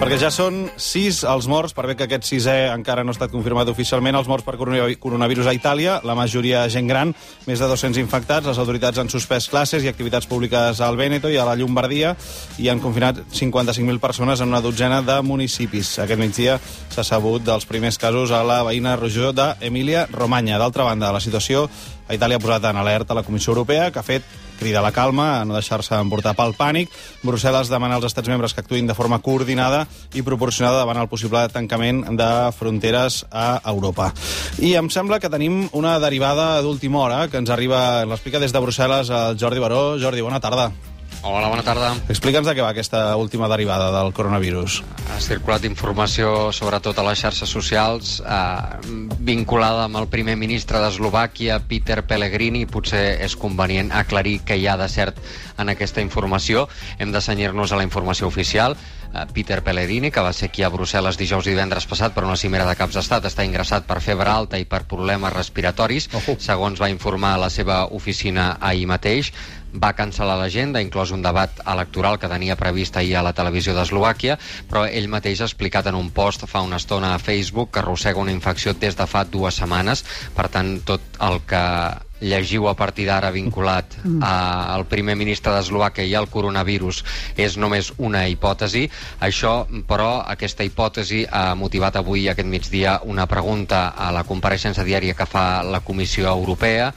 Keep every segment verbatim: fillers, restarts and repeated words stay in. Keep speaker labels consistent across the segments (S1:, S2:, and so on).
S1: Perquè ja són sis els morts, per bé que aquest sisè encara no ha estat confirmat oficialment, els morts per coronavirus a Itàlia, la majoria gent gran, més de dos-cents infectats. Les autoritats han suspès classes i activitats públiques al Vèneto i a la Llombardia i han confinat cinquanta-cinc mil persones en una dotzena de municipis. Aquest migdia s'ha sabut dels primers casos a la veïna regió d'Emília-Romanya. D'altra banda, la situació a Itàlia ha posat en alerta la Comissió Europea, que ha fet crida a la calma, a no deixar-se emportar pel pànic. Brussel·les demana als estats membres que actuïn de forma coordinada i proporcionada davant el possible tancament de fronteres a Europa. I em sembla que tenim una derivada d'última hora que ens arriba, l'explica des de Brussel·les el Jordi Baró. Jordi, bona tarda.
S2: Hola, bona tarda.
S1: Explica'ns de què va aquesta última derivada del coronavirus.
S2: Ha circulat informació, sobretot a les xarxes socials, eh, vinculada amb el primer ministre d'Eslovàquia, Peter Pellegrini. Potser és convenient aclarir què hi ha de cert en aquesta informació. Hem de cenyir-nos a la informació oficial. Eh, Peter Pellegrini, que va ser aquí a Brussel·les dijous i divendres passat per una cimera de caps d'estat, està ingressat per febre alta i per problemes respiratoris, oh. segons va informar la seva oficina ahir mateix. Va cancel·lar l'agenda, inclòs un debat electoral que tenia previst ahir a la televisió d'Eslovàquia, però ell mateix ha explicat en un post fa una estona a Facebook que arrossega una infecció des de fa dues setmanes. Per tant, tot el que llegiu a partir d'ara vinculat al primer ministre d'Eslovàquia i al coronavirus és només una hipòtesi. Això, però, aquesta hipòtesi ha motivat avui, aquest migdia, una pregunta a la compareixença diària que fa la Comissió Europea,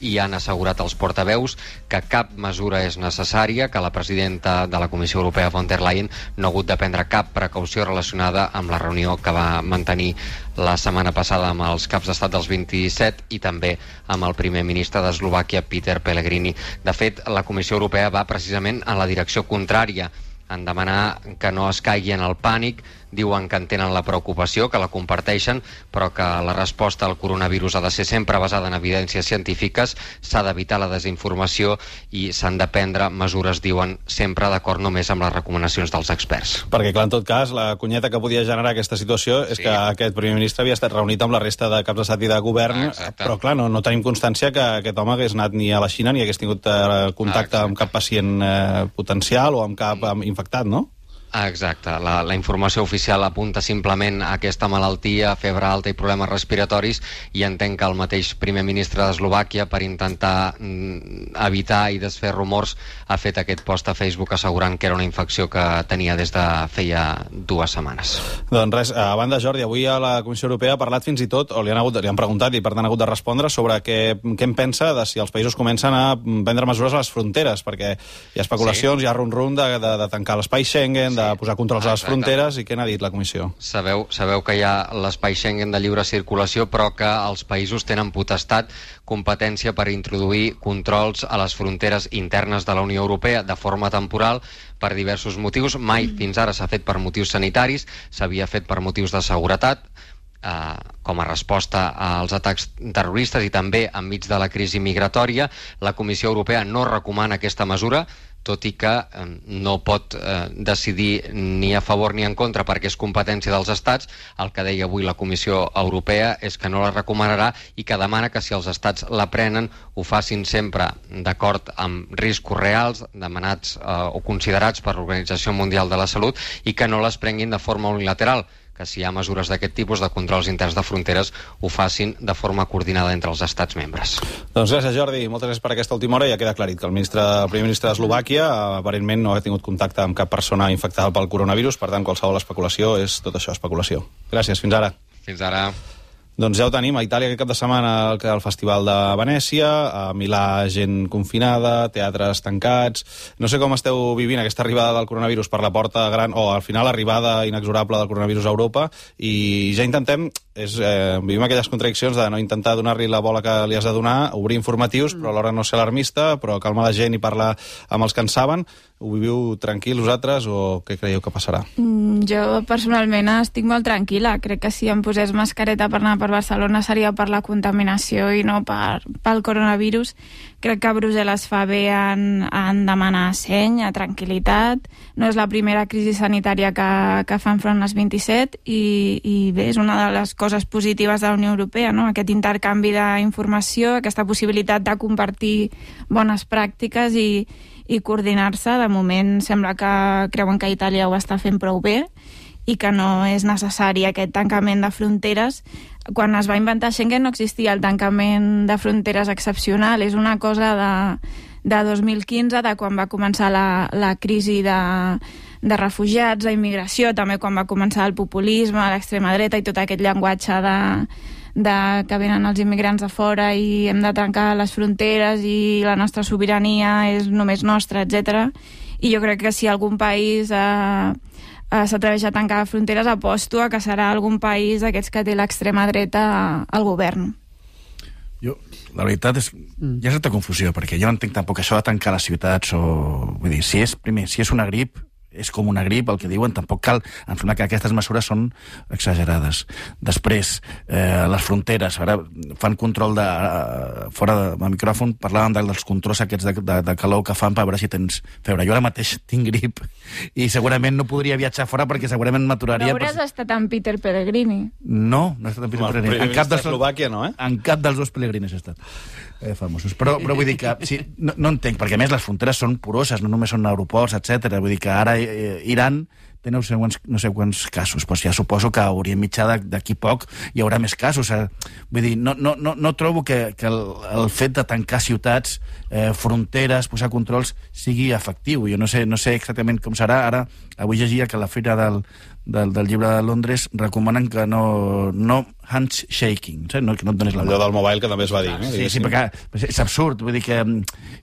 S2: i han assegurat als portaveus que cap mesura és necessària, que la presidenta de la Comissió Europea, von der Leyen, no ha hagut de prendre cap precaució relacionada amb la reunió que va mantenir la setmana passada amb els caps d'estat dels vint-i-set i també amb el primer ministre d'Eslovàquia, Peter Pellegrini. De fet, la Comissió Europea va precisament en la direcció contrària, en demanar que no es caigui en el pànic. Diuen que entenen la preocupació, que la comparteixen, però que la resposta al coronavirus ha de ser sempre basada en evidències científiques, s'ha d'evitar la desinformació i s'han de prendre mesures, diuen, sempre d'acord només amb les recomanacions dels experts.
S1: Perquè, clar, en tot cas, la cunyeta que podia generar aquesta situació és sí. que aquest primer ministre havia estat reunit amb la resta de caps d'estat i de govern, Exacte. però, clar, no, no tenim constància que aquest home hagués anat ni a la Xina ni hagués tingut eh, contacte Exacte. amb cap pacient eh, potencial o amb cap mm. infectat, no?
S2: Exacte. La, la informació oficial apunta simplement a aquesta malaltia, febre alta i problemes respiratoris, i entenc que el mateix primer ministre d'Eslovàquia, per intentar mm, evitar i desfer rumors, ha fet aquest post a Facebook assegurant que era una infecció que tenia des de feia dues setmanes.
S1: Doncs res, a banda, Jordi, avui a la Comissió Europea ha parlat fins i tot, o li han, hagut, li han preguntat i per tant ha hagut de respondre sobre què, què en pensa de si els països comencen a prendre mesures a les fronteres, perquè hi ha especulacions, sí. hi ha rum-rum de, de, de tancar l'espai Schengen, sí. de posar controls a les fronteres, i què n'ha dit la Comissió?
S2: Sabeu, sabeu que hi ha l'espai Schengen de lliure circulació, però que els països tenen potestat, competència per introduir controls a les fronteres internes de la Unió Europea de forma temporal per diversos motius. Mai fins ara s'ha fet per motius sanitaris, s'havia fet per motius de seguretat, eh, com a resposta als atacs terroristes i també enmig de la crisi migratòria. La Comissió Europea no recomana aquesta mesura, tot i que eh, no pot eh, decidir ni a favor ni en contra perquè és competència dels estats. El que deia avui la Comissió Europea és que no la recomanarà i que demana que si els estats la prenen ho facin sempre d'acord amb riscos reals demanats eh, o considerats per l'Organització Mundial de la Salut i que no les prenguin de forma unilateral, que si hi ha mesures d'aquest tipus de controls interns de fronteres ho facin de forma coordinada entre els estats membres.
S1: Doncs gràcies, Jordi. Moltes gràcies per aquesta última hora. Ja queda aclarit que el, ministre, el primer ministre d'Eslovàquia aparentment no ha tingut contacte amb cap persona infectada pel coronavirus, per tant qualsevol especulació és tot això, especulació. Gràcies, fins ara.
S2: Fins ara.
S1: Doncs ja ho tenim, a Itàlia aquest cap de setmana el, el Festival de Venècia, a Milà gent confinada, teatres tancats. No sé com esteu vivint aquesta arribada del coronavirus per la porta gran, o al final arribada inexorable del coronavirus a Europa, i ja intentem, és, eh, vivim aquelles contradiccions de no intentar donar-li la bola que li has de donar, obrir informatius, però alhora no ser alarmista, però calmar la gent i parlar amb els que en saben. Ho viviu tranquil vosaltres o què creieu que passarà?
S3: Mm, jo personalment estic molt tranquil·la. Crec que si em posés mascareta per anar per Barcelona seria per la contaminació i no per, pel coronavirus. Crec que a Brussel·les fa bé en, en demanar seny, a tranquil·litat. No és la primera crisi sanitària que, que fa enfront les vint-i-set i, i bé, és una de les coses positives de la Unió Europea, no? Aquest intercanvi d'informació, aquesta possibilitat de compartir bones pràctiques i i coordinar-se. De moment sembla que creuen que Itàlia ho està fent prou bé i que no és necessari aquest tancament de fronteres. Quan es va inventar Schengen no existia el tancament de fronteres excepcional, és una cosa de, de dos mil quinze, de quan va començar la, la crisi de, de refugiats, d'immigració, també quan va començar el populisme, l'extrema dreta i tot aquest llenguatge de, de que venen els immigrants de fora i hem de tancar les fronteres i la nostra sobirania és només nostra, etcètera. I jo crec que si algun país eh, eh, s'atreveix a tancar fronteres, aposto a que serà algun país d'aquests que té l'extrema dreta al govern.
S4: Jo, la veritat és... Hi ha certa confusió, perquè jo no entenc tampoc això de tancar les ciutats o... Vull dir, si és, primer, si és una grip, és com una grip, el que diuen, tampoc cal... Em sembla que aquestes mesures són exagerades. Després, eh, les fronteres, ara fan control de... Eh, fora de, de micròfon, parlaven dels controls aquests de, de, de calor que fan per veure si tens febre. Jo ara mateix tinc grip i segurament no podria viatjar fora perquè segurament m'aturaria...
S3: No hauràs
S4: per...
S3: estat amb Peter Pellegrini?
S4: No, no he estat amb Peter Pellegrini. En cap dels...
S1: Eslovàquia, no, eh?
S4: En cap dels dos Pellegrinis he estat. Eh, famosos. Però, però vull dir que... Sí, no, no entenc, perquè a més les fronteres són poroses, no només són aeroports, etcètera. Vull dir que ara eh, Iran té no sé quants, no sé quants casos, doncs ja suposo que a Orient Mitjà d'aquí poc hi haurà més casos. Eh? Vull dir, no, no, no, no trobo que, que el, el fet de tancar ciutats, eh, fronteres, posar controls, sigui efectiu. Jo no sé, no sé exactament com serà. Ara, avui llegia que la Fira del, del, del Llibre de Londres recomanen que no, no handshaking, no, que no et donis la mà.
S1: Allò del mobile que també es va dir. No?
S4: Sí, sí, perquè és absurd. Vull dir que...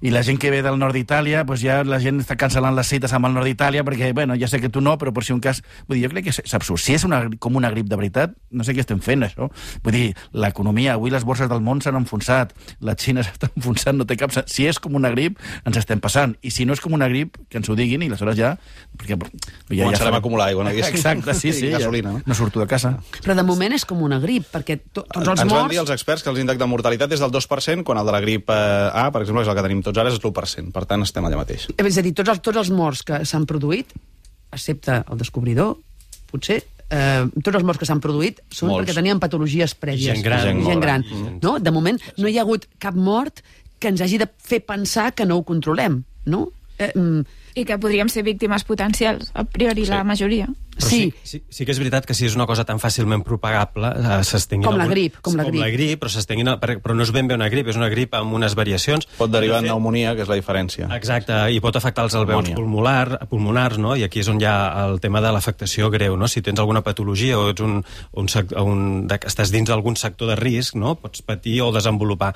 S4: I la gent que ve del nord d'Itàlia, doncs ja la gent està cancel·lant les cites amb el nord d'Itàlia perquè, bueno, ja sé que tu no, però per si un cas... Vull dir, jo crec que és absurd. Si és una, com una grip de veritat, no sé què estem fent, això. Vull dir, l'economia, avui les borses del món s'han enfonsat, la Xina s'està enfonsant, no té cap... Si és com una grip, ens estem passant. I si no és com una grip, que ens ho diguin, i aleshores ja... Perquè, ja
S1: començarem
S4: ja
S1: a acumular aigua, no?
S4: Exacte, sí, sí.
S1: Gasolina, no?
S4: No surto de casa.
S5: Però de moment és com una grip, perquè to, tots els
S1: Ens
S5: morts...
S1: van dir els experts que l'índex de mortalitat és del dos per cent, quan el de la grip eh, A, per exemple, és el que tenim tots ara, és l'u per cent. Per tant, estem allà mateix.
S5: És a dir, tots els, tots els morts que s'han produït, excepte el descobridor, potser, eh, tots els morts que s'han produït són
S1: Molts.
S5: perquè tenien patologies prèvies.
S6: Gent gran.
S5: Gent,
S1: Gent
S5: gran.
S1: gran.
S5: No? De moment, no hi ha hagut cap mort que ens hagi de fer pensar que no ho controlem, no? Eh, mm,
S3: I que podríem ser víctimes potencials, a priori sí. La majoria.
S6: Però sí. Sí, sí que és veritat que si és una cosa tan fàcilment propagable, eh, s'estenguin...
S5: Com la
S6: algun...
S5: grip, com la
S6: com
S5: grip.
S6: la grip, però s'estenguin... Però no és ben bé una grip, és una grip amb unes variacions.
S1: Pot derivar en
S6: de fet...
S1: pneumonia, que és la diferència.
S6: Exacte, i pot afectar els alveols pulmonar, pulmonars, no? I aquí és on hi ha el tema de l'afectació greu, no? Si tens alguna patologia o ets un, un, un, de, estàs dins d'algun sector de risc, no? Pots patir o desenvolupar.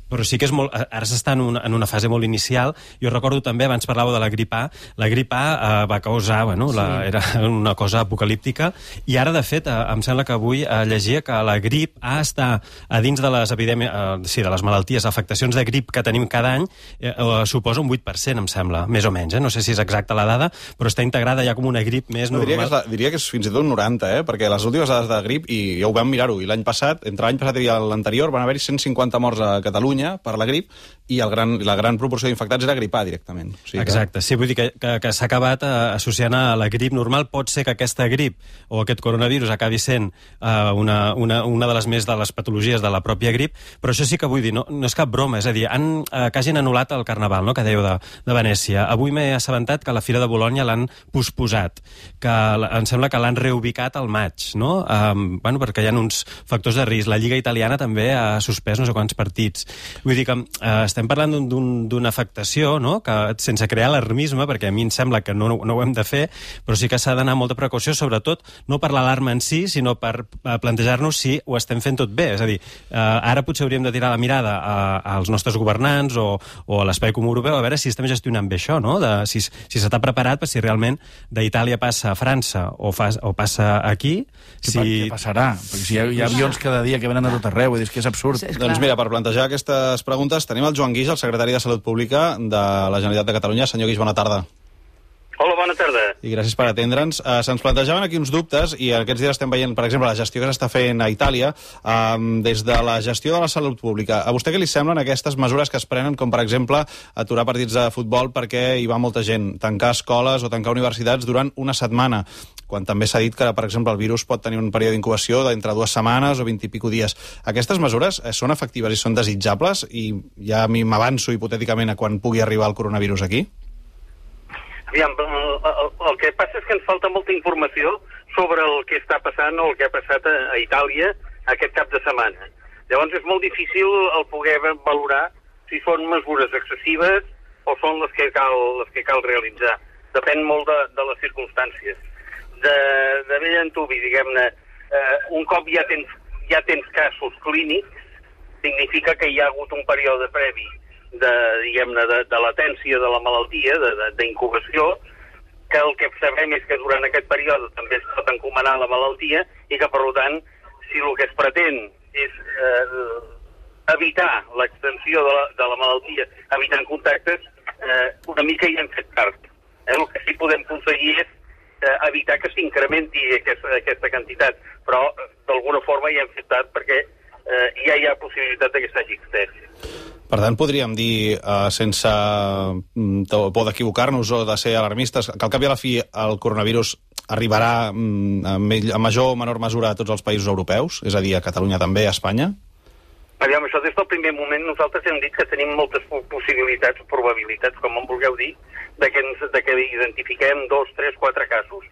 S6: Però sí que és molt... Ara s'està en, una, en una fase molt inicial. Jo recordo també, abans parlàveu de la grip A, la grip A eh, va causar, bueno, la, sí. era una cosa apocalíptica, i ara, de fet, eh, em sembla que avui eh, llegia que la grip A està a dins de les epidèmies, eh, sí, de les malalties, afectacions de grip que tenim cada any, eh, eh, suposa un vuit per cent, em sembla, més o menys, eh? No sé si és exacta la dada, però està integrada ja com una grip més
S1: no,
S6: normal.
S1: Diria que, és la, diria que és fins i tot un noranta, eh? Perquè les últimes dades de grip, i ja ho vam mirar-ho, i l'any passat, entre l'any passat i l'anterior, van haver-hi cent cinquanta morts a Catalunya per la grip, i el gran, la gran proporció d'infectats era grip A directament. O sigui que...
S6: Exacte, sí, vull dir que, que, que s'ha acabat eh, associant a la grip normal. Pot ser que aquesta grip o aquest coronavirus acabi sent uh, una, una, una de les més de les patologies de la pròpia grip, però això sí que vull dir, no, no és cap broma, és a dir, han, uh, que hagin anul·lat el Carnaval, no?, que dèieu de, de Venècia. Avui m'he assabentat que la Fira de Bologna l'han posposat, que em sembla que l'han reubicat al maig, no? Um, bueno, perquè hi ha uns factors de risc. La Lliga Italiana també ha suspès no sé quants partits. Vull dir que uh, estem parlant d'una afectació, no?, que sense crear alarmisme, perquè a mi em sembla que no, no ho hem de fer, però sí que s'ha d'anar amb molta precaució, sobretot no per l'alarma en si, sinó per plantejar-nos si ho estem fent tot bé. És a dir, eh, ara potser hauríem de tirar la mirada a, als nostres governants o, o a l'espai comú europeu a veure si estem gestionant bé això, no? De, si si s'està preparat per si realment d'Itàlia passa a França o, fa, o passa aquí...
S4: Si...
S6: si...
S4: Què passarà? Perquè si hi ha, hi ha avions cada dia que venen a tot arreu, és que és absurd.
S5: Sí, és
S1: Doncs mira, per plantejar aquestes preguntes tenim el Joan Guix, el secretari de Salut Pública de la Generalitat de Catalunya. Senyor Guix, bona tarda.
S7: Hola, bona tarda.
S1: I gràcies per atendre'ns. Uh, Se'ns plantejaven aquí uns dubtes i aquests dies estem veient, per exemple, la gestió que s'està fent a Itàlia um, des de la gestió de la salut pública. A vostè què li semblen aquestes mesures que es prenen, com per exemple aturar partits de futbol perquè hi va molta gent, tancar escoles o tancar universitats durant una setmana, quan també s'ha dit que, per exemple, el virus pot tenir un període d'incubació d'entre dues setmanes o vint i pico dies. Aquestes mesures eh, són efectives i són desitjables? I ja a mi m'avanço hipotèticament a quan pugui arribar el coronavirus aquí?
S7: Aviam, el, el, el que passa és que ens falta molta informació sobre el que està passant o el que ha passat a, a Itàlia aquest cap de setmana. Llavors és molt difícil el poder valorar si són mesures excessives o són les que cal, les que cal realitzar. Depèn molt de, de les circumstàncies. De, de vell antuvi, diguem-ne, eh, un cop ja tens, ja tens casos clínics, significa que hi ha hagut un període previ de, diguem-ne, de, de latència de la malaltia, d'incubació, que el que sabem és que durant aquest període també es pot encomanar la malaltia i que, per tant, si el que es pretén és eh, evitar l'extensió de, la, de la malaltia evitant contactes, eh, una mica hi hem fet tard. Eh, el que sí podem aconseguir és eh, evitar que s'incrementi aquesta, aquesta quantitat, però d'alguna forma hi hem fet tard perquè eh, ja hi ha possibilitat que s'hagi extès.
S1: Per tant, podríem dir, eh, sense por d'equivocar-nos o de ser alarmistes, que al cap i a la fi el coronavirus arribarà mm, a major o menor mesura a tots els països europeus, és a dir, a Catalunya també, a Espanya?
S7: Aviam, això des del primer moment nosaltres hem dit que tenim moltes possibilitats, probabilitats, com en vulgueu dir, de que, ens, de que identifiquem dos, tres, quatre casos.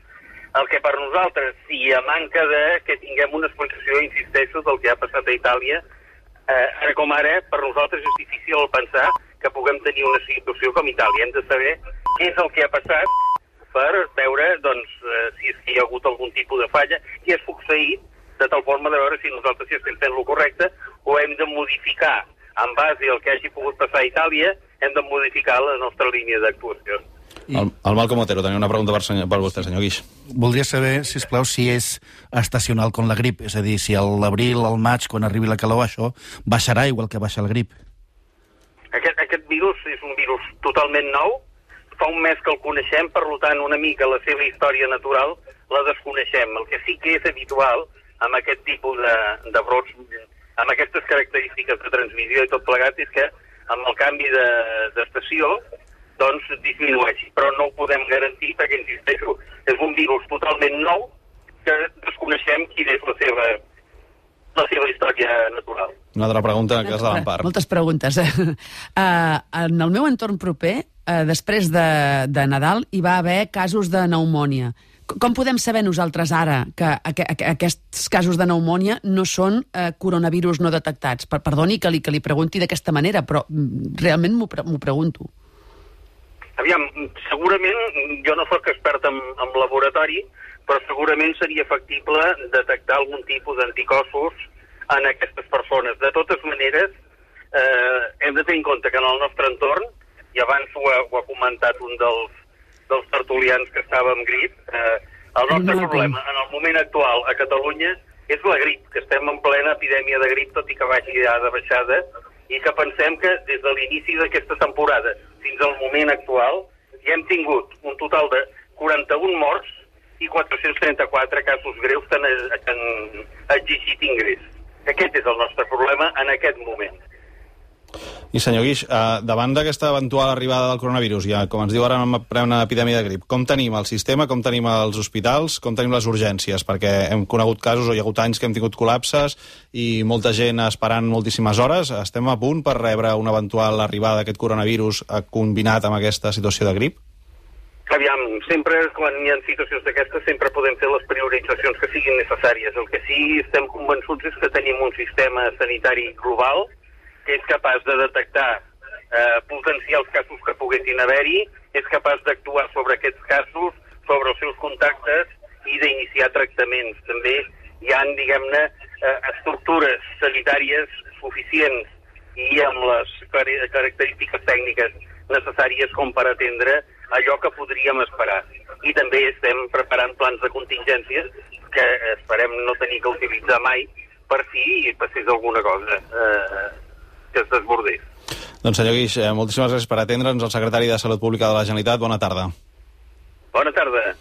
S7: El que per nosaltres, si a manca de que tinguem una explicació, insisteixo, del que ha passat a Itàlia, eh, ara com ara, per nosaltres és difícil pensar que puguem tenir una situació com Itàlia. Hem de saber què és el que ha passat per veure doncs, eh, si, és que hi ha hagut algun tipus de falla, què és succeït, de tal forma de veure si nosaltres si estem fent el correcte o hem de modificar, en base al que hagi pogut passar a Itàlia, hem de modificar la nostra línia d'actuació.
S1: I... El, el Malcom Otero, tenia una pregunta per, senyor, per vostè, senyor Guix.
S4: Voldria saber, si plau, si és estacional com la grip, és a dir, si a l'abril, al maig, quan arribi la calor, això baixarà igual que baixa la grip.
S7: Aquest, aquest virus és un virus totalment nou, fa un mes que el coneixem, per tant, una mica la seva història natural la desconeixem. El que sí que és habitual amb aquest tipus de, de brots, amb aquestes característiques de transmissió i tot plegat, és que amb el canvi d'estació de, doncs disminueixi. Però no ho podem garantir perquè, insisteixo, és un virus totalment nou que desconeixem quina és la seva, la seva història natural.
S1: Una altra pregunta que és de l'Empar.
S5: Moltes preguntes. Uh, en el meu entorn proper, uh, després de, de Nadal, hi va haver casos de pneumònia. Com podem saber nosaltres ara que aqu aqu aquests casos de pneumònia no són eh, coronavirus no detectats? Per perdoni que li, que li pregunti d'aquesta manera, però realment m'ho pre pregunto.
S7: Aviam, segurament, jo no soc expert en, en laboratori, però segurament seria factible detectar algun tipus d'anticossos en aquestes persones. De totes maneres, eh, hem de tenir en compte que en el nostre entorn, i abans ho ha, ho ha comentat un dels dels tertulians que estava amb grip, eh, el nostre no, problema en el moment actual a Catalunya és la grip, que estem en plena epidèmia de grip, tot i que vagi ja de baixada, i que pensem que des de l'inici d'aquesta temporada fins al moment actual ja hem tingut un total de quaranta-un morts i quatre-cents trenta-quatre casos greus que han, que han exigit ingrés. Aquest és el nostre problema en aquest moment.
S1: I senyor Guix, eh, davant d'aquesta eventual arribada del coronavirus, ja com ens diu ara en plena epidèmia de grip, com tenim el sistema, com tenim els hospitals, com tenim les urgències? Perquè hem conegut casos, o hi ha hagut anys que hem tingut col·lapses i molta gent esperant moltíssimes hores. Estem a punt per rebre una eventual arribada d'aquest coronavirus combinat amb aquesta situació de grip?
S7: Aviam, sempre, quan hi ha situacions d'aquestes, sempre podem fer les prioritzacions que siguin necessàries. El que sí estem convençuts és que tenim un sistema sanitari global que és capaç de detectar eh, potencials casos que poguessin haver-hi, és capaç d'actuar sobre aquests casos, sobre els seus contactes i d'iniciar tractaments. També hi ha, diguem-ne, eh, estructures sanitàries suficients i amb les característiques tècniques necessàries com per atendre allò que podríem esperar. I també estem preparant plans de contingències que esperem no tenir que utilitzar mai per si passés alguna cosa eh, que es desbordés.
S1: Doncs senyor Guix, eh, moltíssimes gràcies per atendre'ns. El secretari de Salut Pública de la Generalitat, bona tarda.
S7: Bona tarda.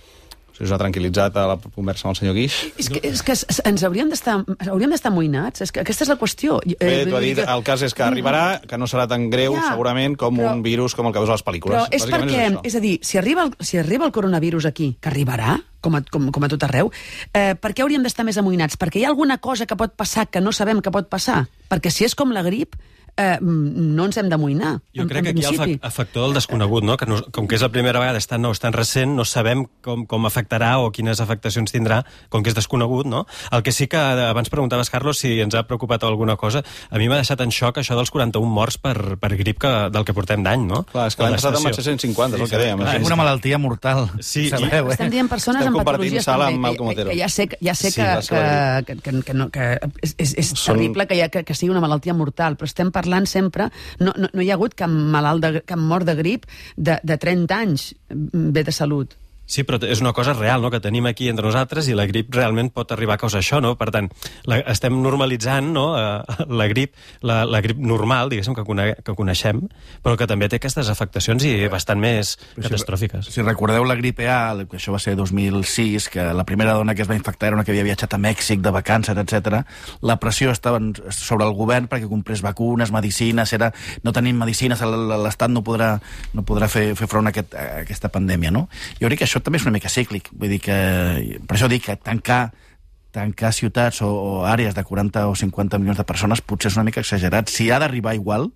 S1: Si us ha tranquil·litzat a la conversa amb el senyor Guix.
S5: És que, és que ens hauríem d'estar hauríem d'estar amoïnats, és que aquesta és la qüestió.
S1: Bé, t'ho ha dit, el cas és que arribarà, que no serà tan greu, ja, segurament, com però, un virus com el que veus a les pel·lícules.
S5: Però és perquè, és, és a dir, si arriba, el, si arriba el coronavirus aquí, que arribarà, com a, com, com a tot arreu, eh, per què hauríem d'estar més amoïnats? Perquè hi ha alguna cosa que pot passar que no sabem que pot passar? Perquè si és com la grip, eh, no ens hem d'amoïnar.
S6: Jo
S5: en,
S6: crec que
S5: en
S6: aquí hi ha el fa- factor del desconegut, no? Que no, com que és la primera vegada, és tan nou, és tan recent, no sabem com, com afectarà o quines afectacions tindrà, com que és desconegut, no? El que sí que abans preguntaves, Carlos, si ens ha preocupat alguna cosa, a mi m'ha deixat en xoc això dels quaranta-un morts per, per grip que, del que portem d'any, no?
S1: Clar, és que l'any passat en van ser cent cinquanta, és el que dèiem.
S4: Clar, és una malaltia mortal.
S6: Sí,
S4: sabeu,
S6: i-
S4: eh?
S5: Estem dient persones
S1: Estem
S5: amb
S1: compartint
S5: patologies
S1: sala
S5: també,
S1: amb Malcom
S5: que,
S1: Otero.
S5: que ja sé, que, ja sé
S1: Sí,
S5: que,
S1: va ser la
S5: que, que, que, no, que és, és, és
S1: Són-
S5: terrible que, ha, que, que sigui una malaltia mortal, però estem parlant sempre... No, no, no hi ha hagut cap malalt, de, cap mort de grip de, de trenta anys bé de salut.
S6: Sí, però és una cosa real, no?, que tenim aquí entre nosaltres i la grip realment pot arribar a causar això, no? Per tant, la, estem normalitzant, no?, eh, la grip, la, la grip normal, diguéssim, que, cone, que coneixem, però que també té aquestes afectacions i bastant més catastròfiques.
S4: Si recordeu la gripe A, que això va ser dos mil sis, que la primera dona que es va infectar era una que havia viatjat a Mèxic de vacances, etcètera. La pressió estava sobre el govern perquè comprés vacunes, medicines, era no tenim medicines, l'Estat no podrà, no podrà fer, fer front a, aquest, a aquesta pandèmia, no? Jo crec que això també és una mica cíclic, vull dir que per això dic que tancar tancar ciutats o, o àrees de quaranta o cinquanta milions de persones potser és una mica exagerat. Si ha d'arribar igual,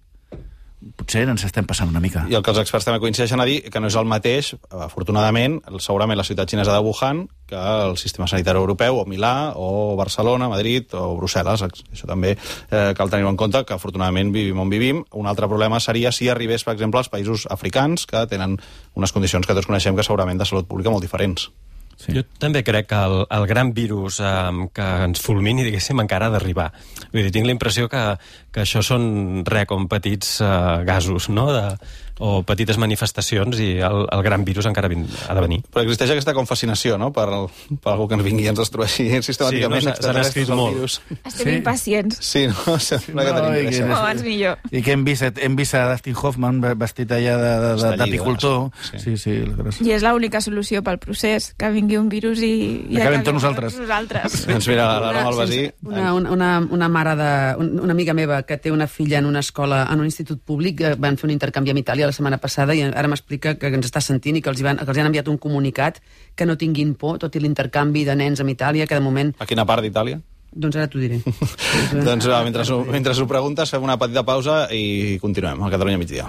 S4: potser ens estem passant una mica.
S1: I el que els experts també coincideixen a dir que no és el mateix, afortunadament, segurament la ciutat xinesa de Wuhan, que el sistema sanitari europeu, o Milà, o Barcelona, Madrid, o Brussel·les. Això també eh, cal tenir en compte, que afortunadament vivim on vivim. Un altre problema seria si arribés, per exemple, als països africans, que tenen unes condicions que tots coneixem que segurament de salut pública molt diferents.
S6: Sí. Jo també crec que el, el gran virus eh, que ens fulmini, diguéssim, encara ha d'arribar. Vull dir, tinc la impressió que, que això són, res, com petits eh, gasos, no?, de, o petites manifestacions, i el, el gran virus encara vin, ha de venir.
S1: Però existeix aquesta com fascinació, no?, per, el, per algú que ens vingui i ens destrueixi sistemàticament.
S6: Sí, no, s'han escrit molt.
S1: Virus.
S3: Estem
S4: Sí.
S3: impacients.
S1: Sí, no? Sembla que
S4: No,
S1: tenim
S4: i
S1: pressa.
S4: que-
S3: Com abans millor.
S4: I que hem vist, hem vist a Dustin Hoffman vestit allà de- de- de- d'apicultor.
S1: Sí.
S4: Sí, sí. sí.
S3: I és l'única solució pel procés, que vingui un virus i... i
S4: Acabem
S3: acabi
S4: tots
S3: amb
S4: nosaltres.
S3: nosaltres.
S1: Doncs mira, l'Aroma Albasí...
S5: Una, una, una, una mare de... Una amiga meva que té una filla en una escola, en un institut públic, eh, van fer un intercanvi amb Itàlia la setmana passada i ara m'explica que ens està sentint i que els, hi van, que els hi han enviat un comunicat que no tinguin por, tot i l'intercanvi de nens amb Itàlia, que de moment...
S1: A quina part d'Itàlia?
S5: Doncs ara t'ho diré.
S1: Doncs va, mentre, mentre ho preguntes, fem una petita pausa i continuem al Catalunya migdia.